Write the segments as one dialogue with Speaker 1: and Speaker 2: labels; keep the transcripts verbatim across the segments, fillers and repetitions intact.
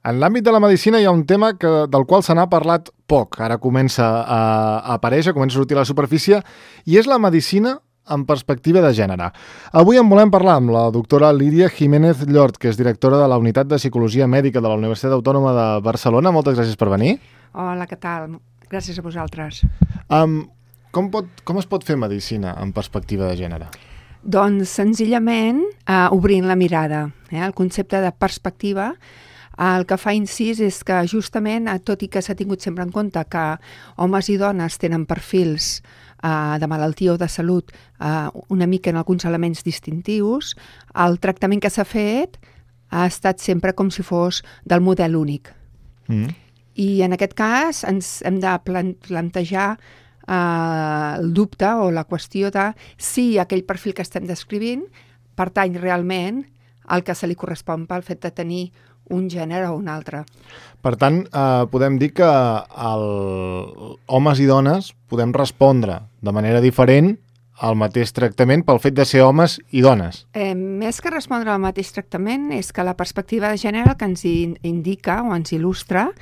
Speaker 1: En l'àmbit de la medicina hi ha un tema que, del qual se n'ha parlat poc. Ara comença a, a aparèixer, comença a sortir a la superfície, i és la medicina en perspectiva de gènere. Avui en volem parlar amb la doctora Lídia Jiménez Llort, que és directora de la Unitat de Psicologia Mèdica de la Universitat Autònoma de Barcelona. Moltes gràcies per venir.
Speaker 2: Hola, què tal? Gràcies a vosaltres.
Speaker 1: Um, com, pot, com es pot fer medicina en perspectiva de gènere?
Speaker 2: Doncs senzillament eh, obrint la mirada. Eh? El concepte de perspectiva el que fa incís és que justament, tot i que s'ha tingut sempre en compte que homes i dones tenen perfils eh, de malaltia o de salut eh, una mica en alguns elements distintius, el tractament que s'ha fet ha estat sempre com si fos del model únic. Mm. I en aquest cas ens hem de plantejar eh, el dubte o la qüestió de si aquell perfil que estem descrivint pertany realment al que se li correspon pel fet de tenir un gènere o un altre.
Speaker 1: Per tant, eh, podem dir que el, homes i dones podem respondre de manera diferent al mateix tractament pel fet de ser homes i dones.
Speaker 2: Eh, més que respondre al mateix tractament és que la perspectiva de gènere que ens indica o ens il·lustra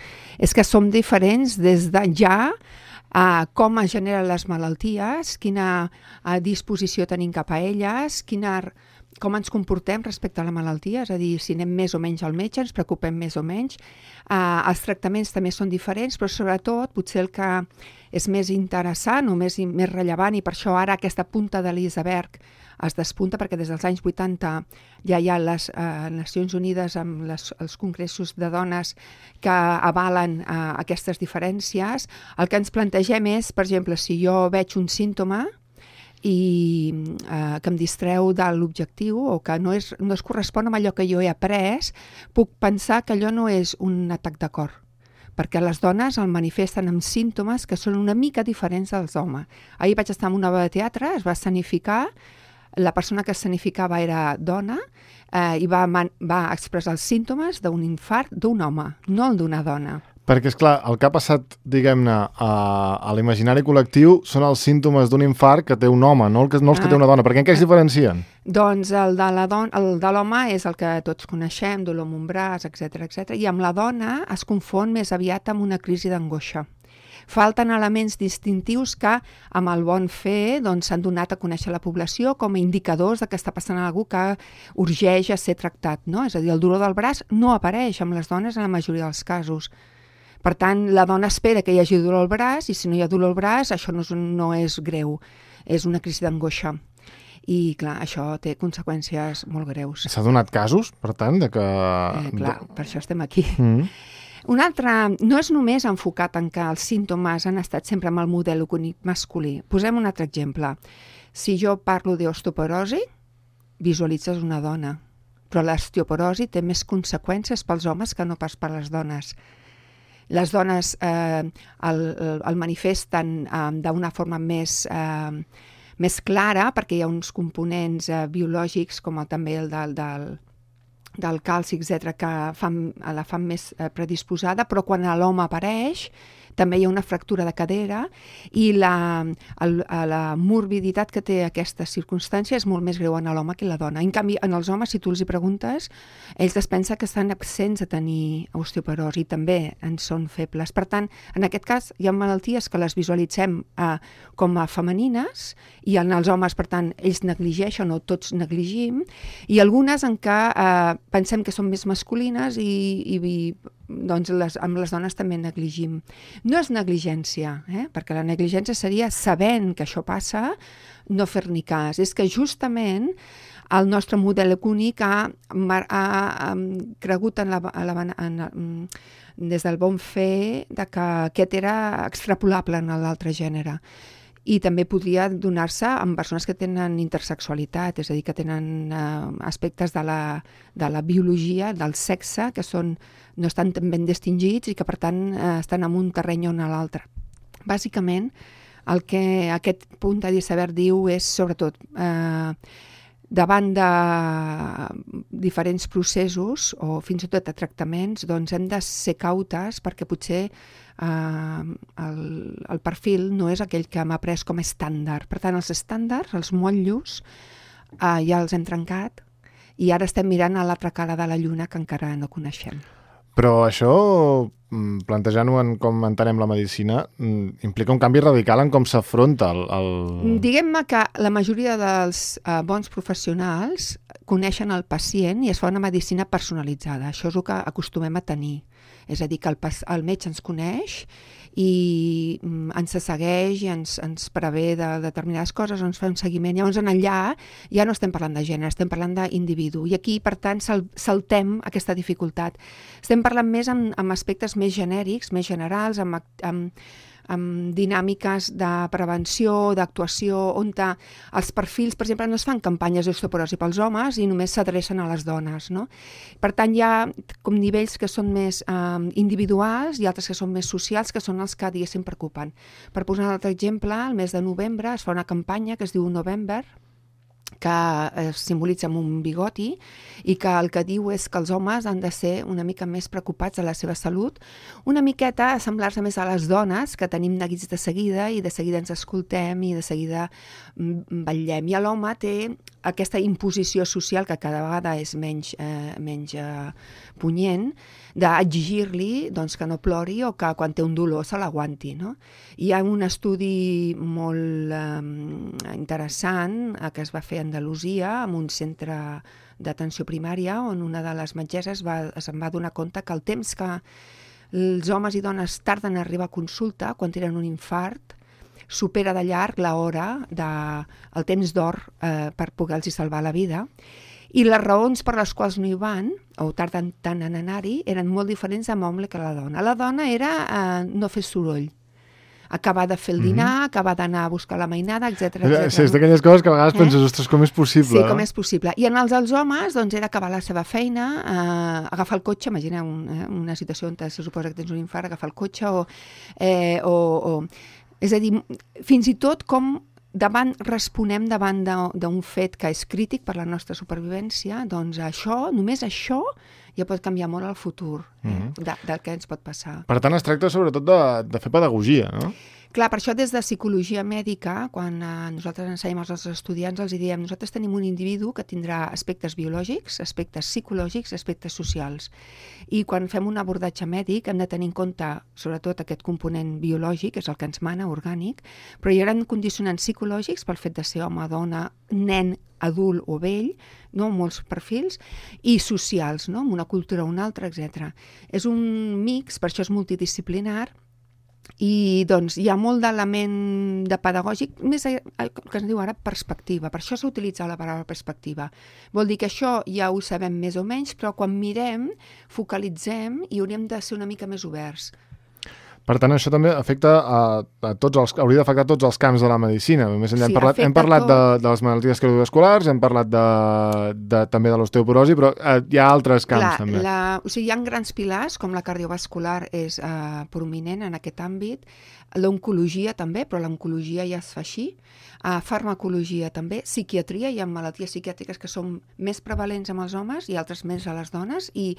Speaker 2: és que som diferents des de ja a com es generen les malalties, quina a, disposició tenim cap a elles, quina... com ens comportem respecte a la malaltia, és a dir, si anem més o menys al metge, ens preocupem més o menys. Uh, els tractaments també són diferents, però sobretot potser el que és més interessant o més, més rellevant, i per això ara aquesta punta de l'iceberg es despunta, perquè des dels anys vuitanta ja hi ha les uh, Nacions Unides amb les, els congressos de dones que avalen uh, aquestes diferències. El que ens plantegem és, per exemple, si jo veig un símptoma i eh, que em distreu de l'objectiu o que no, és, no es correspon amb allò que jo he après, puc pensar que allò no és un atac de cor, perquè les dones el manifesten amb símptomes que són una mica diferents dels homes. Ahir vaig estar en una obra de teatre, es va escenificar, la persona que escenificava era dona eh, i va, man, va expressar els símptomes d'un infart d'un home, no el d'una dona.
Speaker 1: Perquè, és clar, el que ha passat, diguem-ne, a, a l'imaginari col·lectiu són els símptomes d'un infart que té un home, no, el que, no els que té una dona. Per què en què es diferencien?
Speaker 2: Doncs el de la don- el de l'home és el que tots coneixem, dolor amb un braç, etcètera, etcètera, i amb la dona es confon més aviat amb una crisi d'angoixa. Falten elements distintius que, amb el bon fer, doncs, s'han donat a conèixer a la població com a indicadors de que està passant alguna cosa que urgeix a ser tractat, no? És a dir, el dolor del braç no apareix amb les dones en la majoria dels casos. Per tant, la dona espera que hi hagi dolor al braç i si no hi ha dolor al braç, això no és, no és greu, és una crisi d'angoixa. I, clar, això té conseqüències molt greus.
Speaker 1: S'ha donat casos, per tant, de que...
Speaker 2: Eh, clar, per això estem aquí.
Speaker 1: Mm.
Speaker 2: Un altre, no és només enfocat en que els símptomes han estat sempre amb el model únic masculí. Posem un altre exemple. Si jo parlo d'osteoporosi, visualitzes una dona, però l'osteoporosi té més conseqüències pels homes que no pas per les dones. Les dones eh, el, el manifesten eh, d'una forma més, eh, més clara perquè hi ha uns components eh, biològics com el, també el del, del, del calci, etcètera, que fan, la fan més eh, predisposada, però quan l'home apareix també hi ha una fractura de cadera i la, el, la morbiditat que té aquesta circumstància és molt més greu en l'home que en la dona. En canvi, en els homes, si tu els hi preguntes, ells es pensen que estan absents de tenir osteoporosi i també en són febles. Per tant, en aquest cas, hi ha malalties que les visualitzem eh, com a femenines i en els homes, per tant, ells negligeixen o tots negligim, i algunes en què eh, pensem que són més masculines i, i, i doncs les, amb les dones també negligim. No és negligència, eh? Perquè la negligència seria, sabent que això passa, no fer-ni cas. És que justament el nostre model únic ha, ha, ha cregut en la, en la, en la, des del bon fer de que aquest era extrapolable en l'altre gènere. I també podria donar-se amb persones que tenen intersexualitat, és a dir, que tenen eh, aspectes de la, de la biologia, del sexe, que són, no estan tan ben distingits i que, per tant, eh, estan en un terreny o en l'altre. Bàsicament, el que aquest punt de l'iceberg diu és, sobretot, eh, davant de diferents processos o fins i tot de tractaments, doncs hem de ser cautes perquè potser Uh, el, el perfil no és aquell que hem après com a estàndard. Per tant, els estàndards, els motllos, uh, ja els hem trencat i ara estem mirant a l'altra cara de la lluna que encara no coneixem.
Speaker 1: Però això, plantejant-ho en com entenem la medicina, implica un canvi radical en com s'afronta el... el...
Speaker 2: Diguem-ne que la majoria dels uh, bons professionals coneixen el pacient i es fa una medicina personalitzada. Això és el que acostumem a tenir. És a dir, que el, el metge ens coneix i mm, ens segueix i ens, ens prevé de determinades coses, ens fa un seguiment. Llavors, en allà ja no estem parlant de gènere, estem parlant d'individu. I aquí, per tant, sal, saltem aquesta dificultat. Estem parlant més amb, amb aspectes més genèrics, més generals, amb, amb, amb dinàmiques de prevenció, d'actuació, on els perfils, per exemple, no es fan campanyes d'osteoporosi pels homes i només s'adrecen a les dones, no? Per tant, hi ha com nivells que són més eh, individuals i altres que són més socials, que són els que, diguéssim, preocupen. Per posar un altre exemple, el mes de novembre es fa una campanya que es diu November, que es simbolitza amb un bigoti i que el que diu és que els homes han de ser una mica més preocupats de la seva salut, una miqueta a semblar-se més a les dones, que tenim neguits de seguida i de seguida ens escoltem i de seguida vetllem. I l'home té aquesta imposició social que cada vegada és menys, eh, menys eh, punyent, d'exigir-li doncs, que no plori o que quan té un dolor se l'aguanti. No? Hi ha un estudi molt eh, interessant eh, que es va fer a Andalusia, en un centre d'atenció primària, on una de les metgesses va, se'n va donar compte que el temps que els homes i dones tarden a arribar a consulta quan tenen un infart supera de llarg l'hora, de, el temps d'or eh, per poder-los salvar la vida. I les raons per les quals no hi van, o tarden tant en anar-hi, eren molt diferents amb l'home que la dona. La dona era eh, no fer soroll, acabar de fer el dinar, mm-hmm. acabar d'anar a buscar la mainada, etcètera.
Speaker 1: Sí, és d'aquelles coses que a vegades eh? penses, ostres, com és possible?
Speaker 2: Sí, com és possible. I en els dels homes, doncs, era acabar la seva feina, eh, agafar el cotxe, imagina un, eh, una situació on se suposa que tens un infart, agafar el cotxe, o, eh, o, o... És a dir, fins i tot com davant responem davant d'un fet que és crític per la nostra supervivència, doncs això, només això, ja pot canviar molt el futur eh, mm-hmm. de, del que ens pot passar.
Speaker 1: Per tant, es tracta sobretot de, de fer pedagogia, no?
Speaker 2: Clar, per això des de psicologia mèdica, quan eh, nosaltres ensenyem als nostres estudiants, els diem, nosaltres tenim un individu que tindrà aspectes biològics, aspectes psicològics, aspectes socials. I quan fem un abordatge mèdic hem de tenir en compte, sobretot, aquest component biològic, que és el que ens mana, orgànic, però hi haurà condicionants psicològics pel fet de ser home, dona, nen, adult o vell, no? Molts perfils, i socials, no? Amb una cultura o una altra, etcètera. És un mix, per això és multidisciplinar, i doncs hi ha molt d'element de pedagògic, més el que es diu ara perspectiva. Per això s'utilitza la paraula perspectiva. Vol dir que això ja ho sabem més o menys, però quan mirem, focalitzem i hauríem de ser una mica més oberts.
Speaker 1: Per tant, això també afecta a, a tots els, hauria d'afectar tots els camps de la medicina. Més enllà, sí, hem parlat, hem parlat de, de les malalties cardiovasculars, hem parlat de, de, també de l'osteoporosi, però eh, hi ha altres camps. Clar, també.
Speaker 2: La, o sigui, hi ha grans pilars, com la cardiovascular és eh, prominent en aquest àmbit, l'oncologia també, però l'oncologia ja es fa així, uh, farmacologia també, psiquiatria, hi ha malalties psiquiàtriques que són més prevalents amb els homes i altres més a les dones, i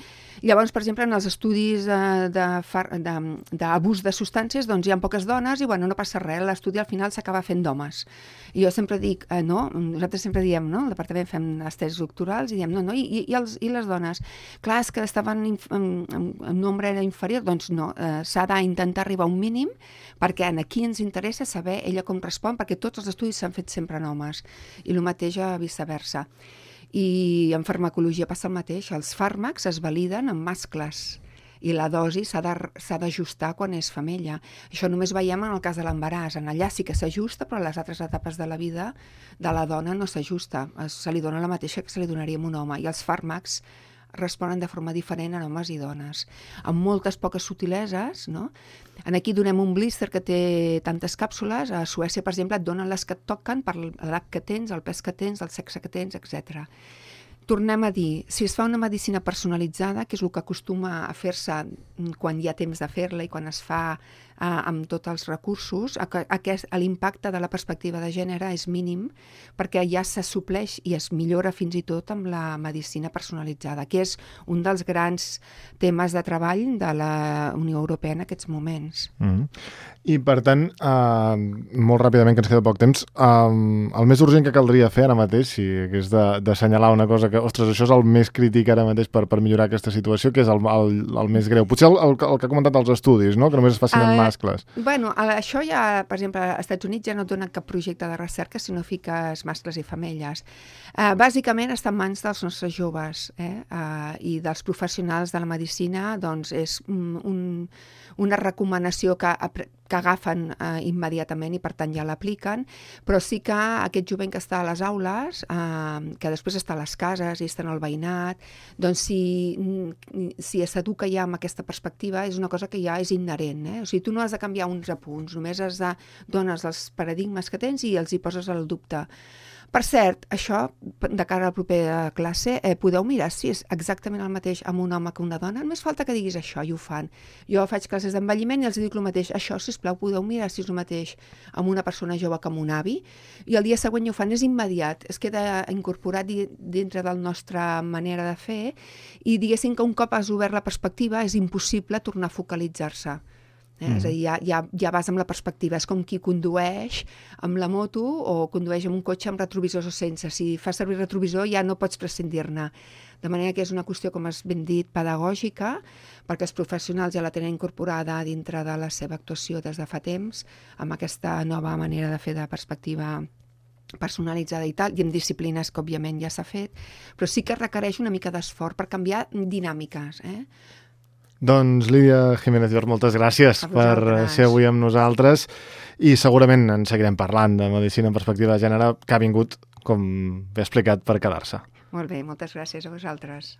Speaker 2: llavors, per exemple, en els estudis uh, d'abús de, de substàncies, doncs hi ha poques dones i, bueno, no passa res, l'estudi al final s'acaba fent d'homes. I jo sempre dic, eh, no, nosaltres sempre diem, no, al departament fem les tesis doctorals i diem, no, no, i, i, els, i les dones? Clar, és que estaven en, en, en nombre era inferior, doncs no, eh, s'ha d'intentar arribar a un mínim, perquè aquí ens interessa saber ella com respon, perquè tots els estudis s'han fet sempre en homes, i el mateix a viceversa. I en farmacologia passa el mateix, els fàrmacs es validen en mascles, i la dosi s'ha d'ajustar quan és femella. Això només veiem en el cas de l'embaràs, en allà sí que s'ajusta, però a les altres etapes de la vida de la dona no s'ajusta, se li dona la mateixa que se li donaria a un home, i els fàrmacs responen de forma diferent a homes i dones, amb moltes poques subtileses, no? Aquí donem un blister que té tantes càpsules, a Suècia, per exemple, et donen les que et toquen per l'edat que tens, el pes que tens, el sexe que tens, etcètera. Tornem a dir, si es fa una medicina personalitzada, que és el que acostuma a fer-se quan hi ha temps de fer-la i quan es fa amb tots els recursos, aquest, l'impacte de la perspectiva de gènere és mínim perquè ja se supleix i es millora fins i tot amb la medicina personalitzada, que és un dels grans temes de treball de la Unió Europea en aquests moments.
Speaker 1: Mm-hmm. I per tant, eh, molt ràpidament, que ens queda poc temps, eh, el més urgent que caldria fer ara mateix, si hagués d'assenyalar una cosa que, ostres, això és el més crític ara mateix per, per millorar aquesta situació, que és el, el, el més greu. Potser el, el, el que ha comentat als estudis, no? Que només es facin uh, amb mascles.
Speaker 2: Bueno, això ja, per exemple, als Estats Units ja no donen cap projecte de recerca, sinó fiques mascles i femelles. Uh, bàsicament està en mans dels nostres joves eh? uh, i dels professionals de la medicina, doncs és un, un, una recomanació que, que agafen uh, immediatament i per tant ja l'apliquen, però sí que aquest jovent que està a les aules, uh, que després està a les cases i està en el veïnat, doncs si, si s'educa ja amb aquesta perspectiva és una cosa que ja és inherent. Eh? O sigui, tu no has de canviar uns apunts, només has de dones els paradigmes que tens i els hi poses al dubte. Per cert, això, de cara a la propera classe, eh, podeu mirar si és exactament el mateix amb un home que una dona. Només falta que diguis això i ho fan. Jo faig classes d'envelliment i els dic el mateix. Això, sisplau, podeu mirar si és el mateix amb una persona jove que amb un avi. I el dia següent ho fan, és immediat. Es queda incorporat dintre de la nostra manera de fer i diguéssim que un cop has obert la perspectiva és impossible tornar a focalitzar-se. Eh? Mm. És a dir, ja, ja, ja vas amb la perspectiva. És com qui condueix amb la moto o condueix amb un cotxe amb retrovisors o sense. Si fas servir retrovisor ja no pots prescindir-ne. De manera que és una qüestió, com has ben dit, pedagògica, perquè els professionals ja la tenen incorporada dintre de la seva actuació des de fa temps, amb aquesta nova manera de fer de perspectiva personalitzada i tal, i en disciplines que òbviament ja s'ha fet, però sí que requereix una mica d'esforç per canviar dinàmiques, eh?
Speaker 1: Doncs Lídia Jiménez Llor, moltes gràcies per ser avui amb nosaltres i segurament en seguirem parlant de medicina en perspectiva de gènere, que ha vingut, com bé explicat, per quedar-se.
Speaker 2: Molt bé, moltes gràcies a vosaltres.